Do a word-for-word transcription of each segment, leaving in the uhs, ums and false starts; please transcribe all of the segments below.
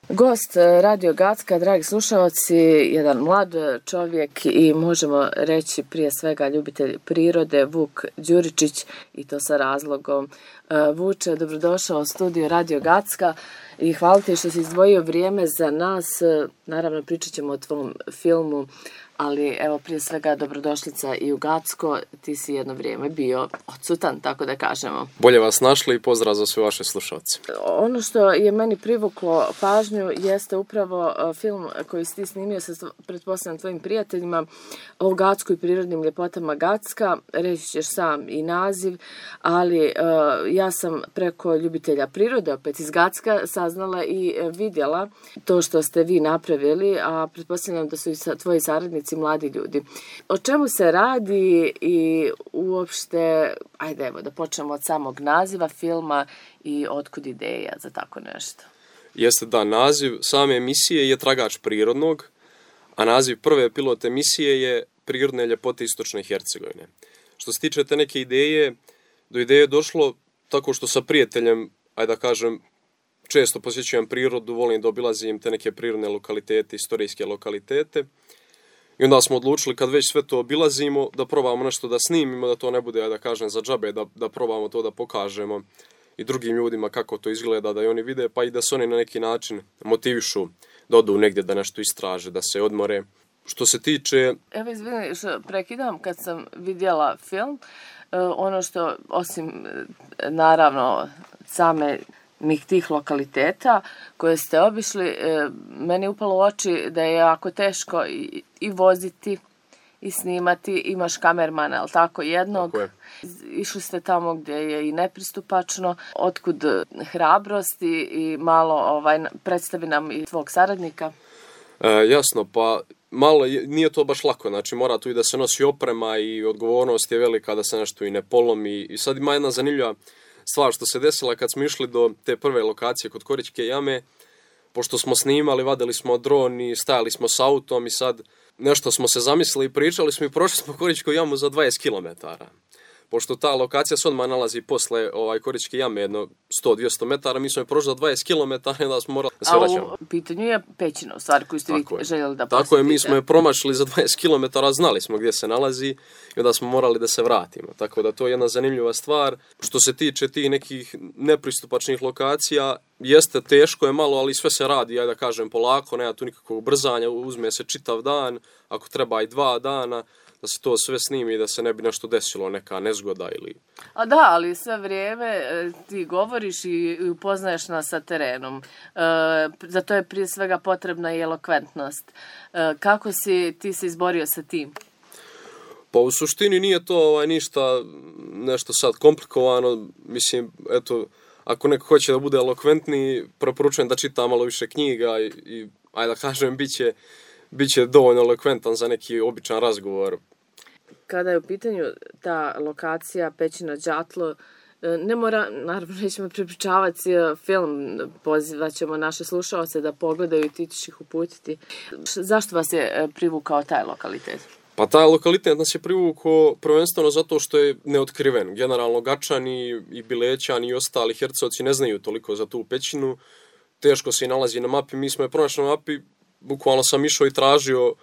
Gost Radio Gacka, dragi slušalci, jedan mlad čovjek i možemo reći prije svega ljubitelj prirode, Vuk Đuričić, i to sa razlogom. Vuče, dobrodošao u studio Radio Gacka i hvala ti što si izdvojio vrijeme za nas. Naravno, pričat ćemo o tvom filmu, ali evo prije svega dobrodošlica i u Gacko. Ti si jedno vrijeme bio odsutan, tako da kažemo. Bolje vas našli i pozdrav za sve vaše slušalce. Ono što je meni privuklo pažnju jeste upravo film koji si ti snimio sa, pretpostavljam, tvojim prijateljima o Gacku i prirodnim ljepotama Gacka. Reći ćeš sam i naziv, ali uh, ja sam preko ljubitelja prirode, opet iz Gacka, saznala i vidjela to što ste vi napravili, a pretpostavljam da su i tvoji saradnici mladi ljudi. O čemu se radi i uopšte, ajde evo da počnemo od samog naziva filma i otkud ideja za tako nešto? Jeste da, naziv same emisije je Tragač prirodnog, a naziv prve pilot emisije je Prirodne ljepote Istočne Hercegovine. Što se tiče te neke ideje, do ideje je došlo tako što sa prijateljem, ajde da kažem, često posjećujem prirodu, volim da obilazim te neke prirodne lokalitete, istorijske lokalitete. I onda smo odlučili, kad već sve to obilazimo, da probamo nešto da snimimo, da to ne bude, da kažem, za džabe, da, da probamo to da pokažemo i drugim ljudima kako to izgleda, da i oni vide, pa i da se oni na neki način motivišu da odu negdje, da nešto istraže, da se odmore. Što se tiče... Evo, izvini, što prekidam, kad sam vidjela film, ono što, osim, naravno, same mih tih lokaliteta koje ste obišli, meni je upalo u oči da je jako teško i, i voziti i snimati. Imaš kamermana, ali tako, jednog. Tako je. Išli ste tamo gdje je i nepristupačno. Otkud hrabrost i, i malo ovaj, predstavi nam i tvog saradnika? E, jasno, pa malo nije to baš lako. Znači, mora tu i da se nosi oprema i odgovornost je velika da se nešto i ne polomi. I sad ima jedna zanimljiva stvar što se desila kad smo išli do te prve lokacije kod Korićke jame, pošto smo snimali, vadili smo dron i stajali smo s autom i sad nešto smo se zamislili i pričali smo i prošli smo Korićku jamu za dvadeset kilometara. Pošto ta lokacija se odmah nalazi posle ovaj, Korićke jame, jedno sto do dvjesto metara, mi smo je prošli za dvadeset kilometara i onda smo morali da se vraćamo. A u pitanju je pećina, u stvari koju ste vi željeli da posjetite. Tako je, mi smo je promašili za dvadeset kilometara, znali smo gdje se nalazi i onda smo morali da se vratimo. Tako da to je jedna zanimljiva stvar. Što se tiče tih nekih nepristupačnih lokacija, jeste teško je malo, ali sve se radi, ja da kažem, polako, nema tu nikakvog brzanja, uzme se čitav dan, ako treba i dva dana, da se to sve snimi i da se ne bi nešto desilo, neka nezgoda ili... A da, ali sve vrijeme ti govoriš i upoznaješ nas sa terenom. E, za to je prije svega potrebna i elokventnost. E, kako si ti se izborio sa tim? Pa u suštini nije to ovaj, ništa nešto sad komplikovano. Mislim, eto, ako neko hoće da bude elokventni, preporučujem da čita malo više knjiga i, i ajde da kažem, bit će Biće dovoljno elokventan za neki običan razgovor. Kada je u pitanju ta lokacija Pećina Đatlo, ne mora, naravno nećemo prepričavati film, pozivat ćemo naše slušalce da pogledaju i ti ćeš ih uputiti. Zašto vas je privukao taj lokalitet? Pa taj lokalitet nas je privukao prvenstveno zato što je neotkriven. Generalno Gačani i Bilećani i ostali Hercovci ne znaju toliko za tu pećinu. Teško se i nalazi na mapi. Mi smo je pronašli na mapi. Bukvalno sam išao i tražio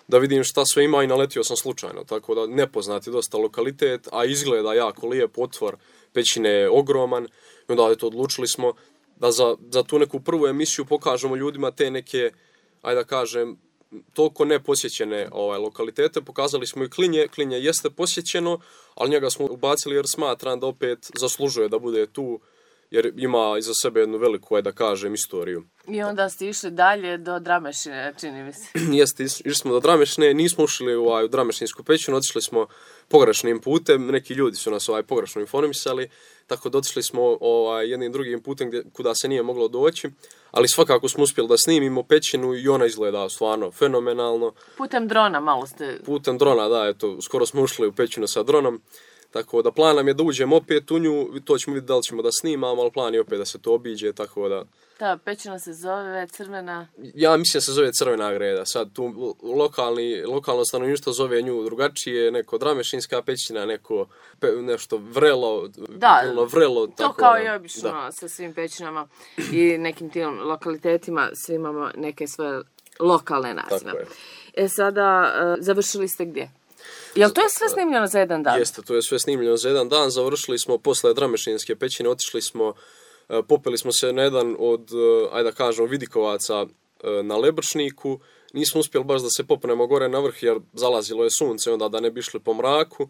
da vidim šta sve ima i naletio sam slučajno, tako da nepoznat je dosta lokalitet, a izgleda jako lijep, otvor pećine je ogroman i onda eto, odlučili smo da za, za tu neku prvu emisiju pokažemo ljudima te neke, ajde da kažem, toliko neposjećene ovaj, lokalitete. Pokazali smo i Klinje, Klinje jeste posjećeno, ali njega smo ubacili jer smatram da opet zaslužuje da bude tu, jer ima iza sebe jednu veliku, ajde da kažem, istoriju. I onda ste išli dalje do Dramešine, čini mi se. Jeste, išli smo do Dramešine, nismo ušli u, ovaj, u Dramešinsku pećinu, otišli smo pogrešnim putem, neki ljudi su nas ovaj, pogrešno informisali, tako da otišli smo ovaj, jednim drugim putem gdje, kuda se nije moglo doći, ali svakako smo uspjeli da snimimo pećinu i ona izgleda stvarno fenomenalno. Putem drona malo ste... Putem drona, da, eto, skoro smo ušli u pećinu sa dronom. Tako da plan nam je da uđemo opet u nju, to ćemo vidjeti da li ćemo da snimamo, ali plan je opet da se to obiđe, tako da Ta pećina se zove crvena... Ja mislim da se zove Crvena greda. Sad tu lokalni, lokalno stanovništvo zove nju drugačije, neko Dramešinska pećina, neko pe, nešto vrelo, da, vrelo. To tako, kao da, i obično da. sa svim pećinama i nekim tim lokalitetima, svi imamo neke svoje lokalne nazive. E sada, uh, završili ste gdje? Jel to je sve snimljeno za jedan dan? Jeste, to je sve snimljeno za jedan dan. Završili smo posle Dramešinske pećine, otišli smo, popeli smo se na jedan od, ajde da kažemo, vidikovaca na Lebršniku. Nismo uspjeli baš da se popnemo gore na vrh jer zalazilo je sunce, onda da ne bi išli po mraku.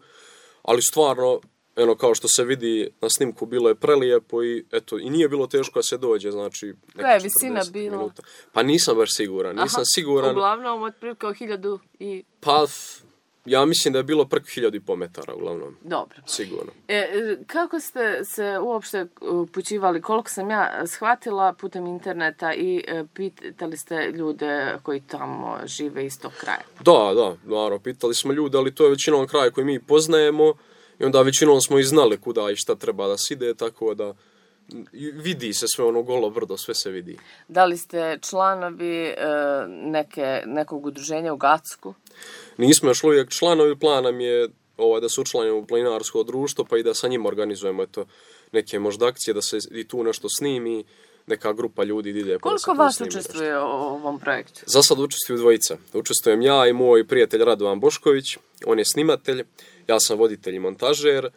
Ali stvarno, eno, kao što se vidi na snimku, bilo je prelijepo i eto, i nije bilo teško da se dođe, znači... Koja je visina bila? Minuta. Pa nisam baš siguran, nisam Aha, siguran... Uglavnom, otprilike o hiljadu i... Pa... Ja mislim da je bilo preko hiljadu i po metara, uglavnom. Dobro. Sigurno. E, kako ste se uopšte upućivali? Koliko sam ja shvatila putem interneta i pitali ste ljude koji tamo žive iz tog kraja? Da, da, naravno, pitali smo ljude, ali to je većinom kraj koji mi poznajemo i onda većinom smo i znali kuda i šta treba da se ide, tako da vidi se sve ono golo brdo, sve se vidi. Da li ste članovi neke, nekog udruženja u Gacku? Nismo još uvijek članovi, plan nam je ovaj, da se učlanimo u planinarsko društvo, pa i da sa njim organizujemo eto, neke možda akcije, da se i tu nešto snimi, neka grupa ljudi ide. Koliko vas učestvuje u ovom projektu? Za sad učestvuju dvojica. Učestvujem ja i moj prijatelj Radovan Bošković, on je snimatelj, ja sam voditelj i montažer.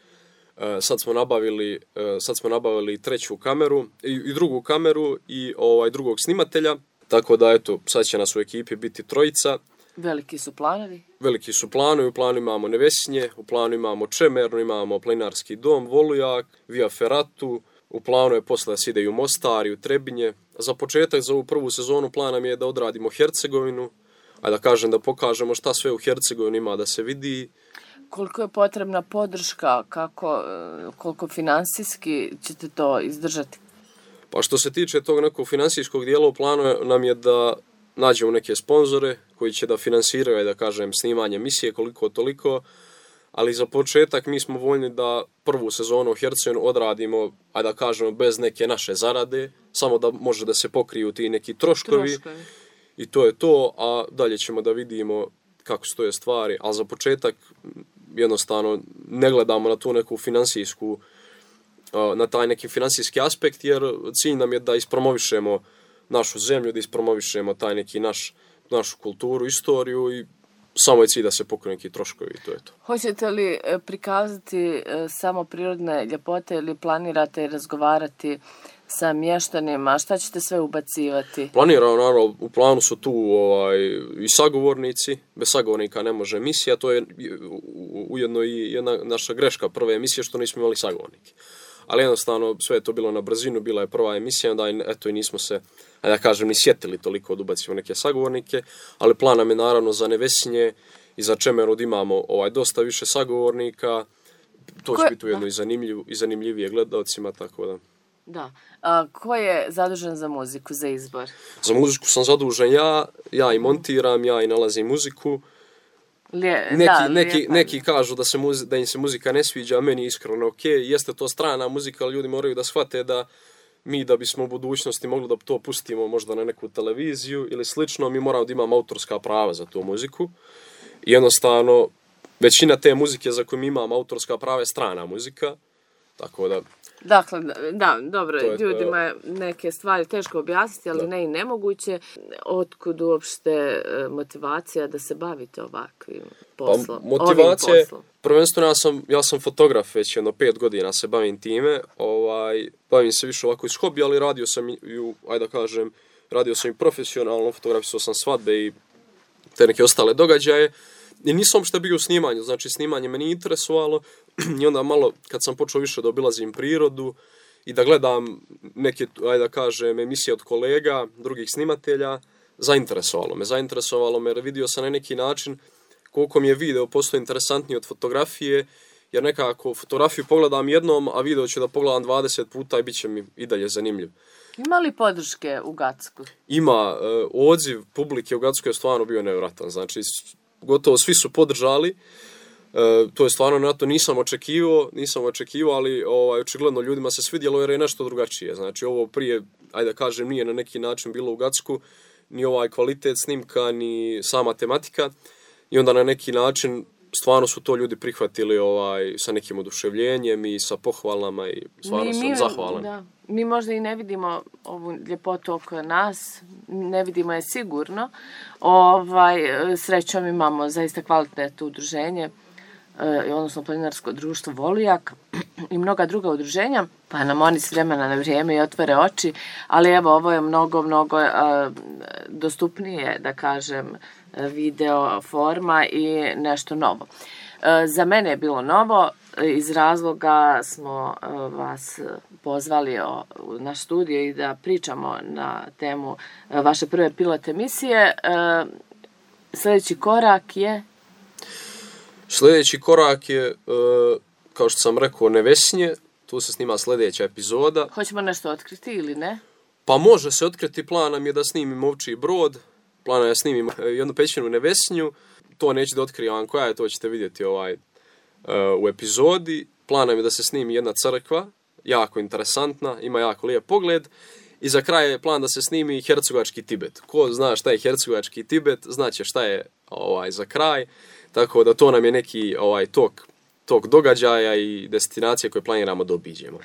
Sad smo nabavili, sad smo nabavili treću kameru i, i drugu kameru i ovaj drugog snimatelja, tako da eto, sad će nas u ekipi biti trojica. Veliki su planovi? Veliki su planovi, u planu imamo Nevesinje, u planu imamo Čemernu, imamo planinarski dom, Volujak, Via Ferratu, u planu je posle da se ide i u Mostar i u Trebinje. Za početak, za ovu prvu sezonu, plan nam je da odradimo Hercegovinu, a da kažem da pokažemo šta sve u Hercegovini ima da se vidi. Koliko je potrebna podrška, kako, koliko finansijski ćete to izdržati? Pa što se tiče tog nekog finansijskog dijela, u planu nam je da nađemo neke sponzore koji će da finansiraju, da kažem, snimanje emisije koliko toliko, ali za početak mi smo voljni da prvu sezonu u Hercegovini odradimo, ajde da kažemo, bez neke naše zarade, samo da može da se pokriju ti neki troškovi, troškovi. I to je to, a dalje ćemo da vidimo kako stoje stvari, ali za početak jednostavno ne gledamo na tu neku finansijsku, na taj neki finansijski aspekt, jer cilj nam je da ispromovišemo našu zemlju, da ispromovišemo taj neki naš, našu kulturu, istoriju i samo je cilj da se pokriju neki troškovi i to je to. Hoćete li prikazati samo prirodne ljepote ili planirate razgovarati sa mještanima? Šta ćete sve ubacivati? Planiramo, naravno, u planu su tu ovaj, i sagovornici. Bez sagovornika ne može emisija. To je ujedno i jedna naša greška prve emisije što nismo imali sagovornike. Ali jednostavno sve je to bilo na brzinu, bila je prva emisija, onda eto i nismo se, da kažem, ni sjetili toliko da ubacimo neke sagovornike, ali plan nam je naravno za Nevesinje i za Čemeru da imamo ovaj, dosta više sagovornika, to će biti ujedno i, zanimljiv, i zanimljivije gledalcima, tako da. Da. A ko je zadužen za muziku, za izbor? Za muziku sam zadužen ja, ja i montiram, ja i nalazim muziku. Lije, neki, da, neki, neki kažu da, se muzi, da im se muzika ne sviđa, a meni iskreno ok, jeste to strana muzika, ali ljudi moraju da shvate da mi da bismo u budućnosti mogli da to pustimo možda na neku televiziju ili slično, mi moramo da imamo autorska prava za tu muziku. I jednostavno, većina te muzike za koju mi imamo autorska prava je strana muzika, tako da... Dakle, da, dobro, ljudima je neke stvari teško objasniti, ali da. Ne i nemoguće. Otkud uopšte motivacija da se bavite ovakvim poslom? Pa, motivacija je, prvenstveno ja sam, ja sam fotograf već jedno pet godina se bavim time, ovaj, bavim se više ovako iz hobija, ali radio sam i, ajde da kažem, radio sam i profesionalno, fotografisao sam svadbe i te neke ostale događaje. I nisam uopšte bio u snimanju, znači snimanje me nije interesovalo i onda malo kad sam počeo više da obilazim prirodu i da gledam neke, ajde da kažem, emisije od kolega, drugih snimatelja, zainteresovalo me. Zainteresovalo me jer vidio sam na neki način koliko mi je video postao interesantniji od fotografije, jer nekako fotografiju pogledam jednom, a video ću da pogledam dvadeset puta i bit će mi i dalje zanimljiv. Ima li podrške u Gacku? Ima. E, odziv publike u Gacku je stvarno bio nevjerojatan. Znači, gotovo svi su podržali. E, to je stvarno na to nisam očekivao, nisam očekivao, ali ovaj, očigledno ljudima se svidjelo jer je nešto drugačije. Znači, ovo prije ajde da kažem, nije na neki način bilo u Gacku, ni ovaj kvalitet snimka, ni sama tematika. I onda na neki način stvarno su to ljudi prihvatili ovaj, sa nekim oduševljenjem i sa pohvalama i stvarno mi, sam zahvalan. Da. Mi možda i ne vidimo ovu ljepotu oko nas, ne vidimo je sigurno. Ovaj, srećom imamo zaista kvalitetno udruženje, odnosno planinarsko društvo Volijak i mnoga druga udruženja, pa nam oni s vremena na vrijeme i otvore oči, ali evo ovo je mnogo, mnogo uh, dostupnije, da kažem, video forma i nešto novo. Uh, za mene je bilo novo, iz razloga smo uh, vas pozvali o, u naš studio i da pričamo na temu uh, vaše prve pilot emisije. Uh, sljedeći korak je... Sljedeći korak je, kao što sam rekao, Nevesinje. Tu se snima sljedeća epizoda. Hoćemo nešto otkriti ili ne? Pa može se otkriti. Plan nam je da snimimo Ovčji Brod. Plan je da snimimo jednu pećinu u Nevesinju. To neću da otkrivam koja je, to ćete vidjeti ovaj, u epizodi. Plan nam je da se snimi jedna crkva, jako interesantna, ima jako lijep pogled. I za kraj je plan da se snimi Hercegovački Tibet. Ko zna šta je Hercegovački Tibet, znaće šta je ovaj, za kraj. Tako da to nam je neki ovaj, tok, tok događaja i destinacije koje planiramo da obiđemo.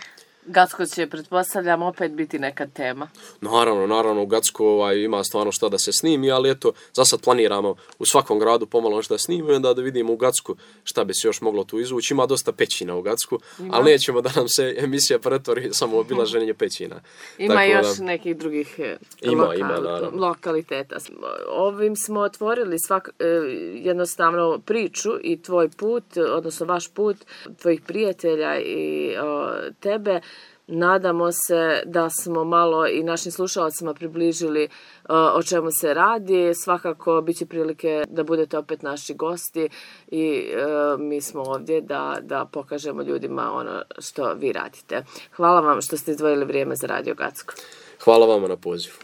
Gacko će, pretpostavljam, opet biti neka tema. Naravno, naravno, u Gacku ovaj, ima stvarno šta da se snimi, ali eto, za sad planiramo u svakom gradu pomalo nešto da snimimo i onda da vidimo u Gacku šta bi se još moglo tu izvući. Ima dosta pećina u Gacku, ima. Ali nećemo da nam se emisija pretvori samo obilaženje pećina. Ima tako još da, nekih drugih ima, lokal, ima, lokaliteta. Ovim smo otvorili svak, jednostavno priču i tvoj put, odnosno vaš put, tvojih prijatelja i o, tebe. Nadamo se da smo malo i našim slušalcima približili uh, o čemu se radi. Svakako bit će prilike da budete opet naši gosti i uh, mi smo ovdje da, da pokažemo ljudima ono što vi radite. Hvala vam što ste izdvojili vrijeme za Radio Gacko. Hvala vama na pozivu.